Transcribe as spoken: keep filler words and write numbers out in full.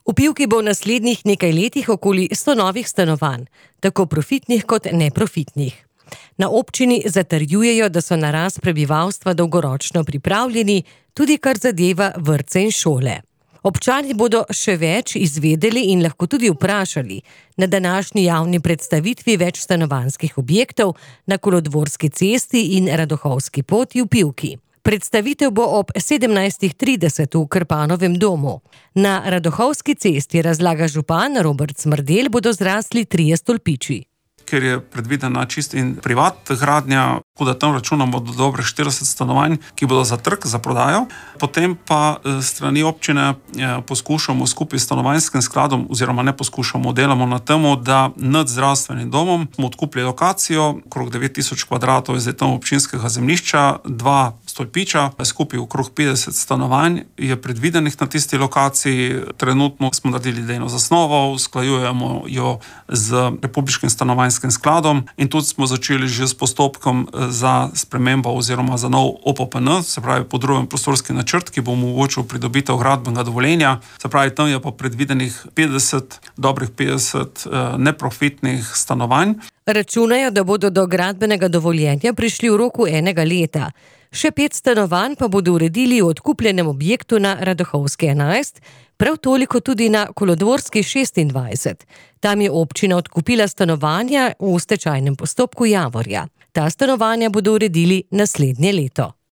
V Pivki bo v naslednjih nekaj letih okoli sto novih stanovanj, tako profitnih kot neprofitnih. Na občini zatrjujejo, da so na rast prebivalstva dolgoročno pripravljeni, tudi kar zadeva vrtce in šole. Občani bodo še več izvedeli in lahko tudi vprašali na današnji javni predstavitvi več stanovanjskih objektov na Kolodvorski cesti in Radohovski poti v Pivki. Predstavitev bo ob sedemnajstih trideset v Krpanovem domu. Na Radohovski cesti, razlaga župan Robert Smrdelj, bodo zrasli trije stolpiči. Ker je predvidena čist in privat gradnja, tako da tam računamo do dobre štirideset stanovanj, ki bodo za trg, za prodajo. Potem pa strani občine poskušamo skupaj s stanovanjskim skladom, oziroma ne poskušamo, delamo na temu, da nad zdravstvenim domom smo odkupili lokacijo, okrog devet tisoč kvadratov je zdaj tam občinskega zemljišča, dva stolpiča, skupaj okrog petdeset stanovanj je predvidenih na tisti lokaciji. Trenutno smo naredili idejno zasnovo, usklajujemo jo z republiškim stanovanjskim skladom in tudi smo začeli že s postopkom za spremembo oziroma za nov O P P N, se pravi podroben prostorski načrt, ki bo omogočil pridobitev gradbenega dovoljenja. Se pravi, tam je pa predvidenih petdeset, dobrih petdeset neprofitnih stanovanj. Računajo, da bodo do gradbenega dovoljenja prišli v roku enega leta. Še pet stanovanj pa bodo uredili v odkupljenem objektu na Radohovski enajst, prav toliko tudi na Kolodvorski šestindvajset. Tam je občina odkupila stanovanja v stečajnem postopku Javorja. Ta stanovanja bodo uredili naslednje leto.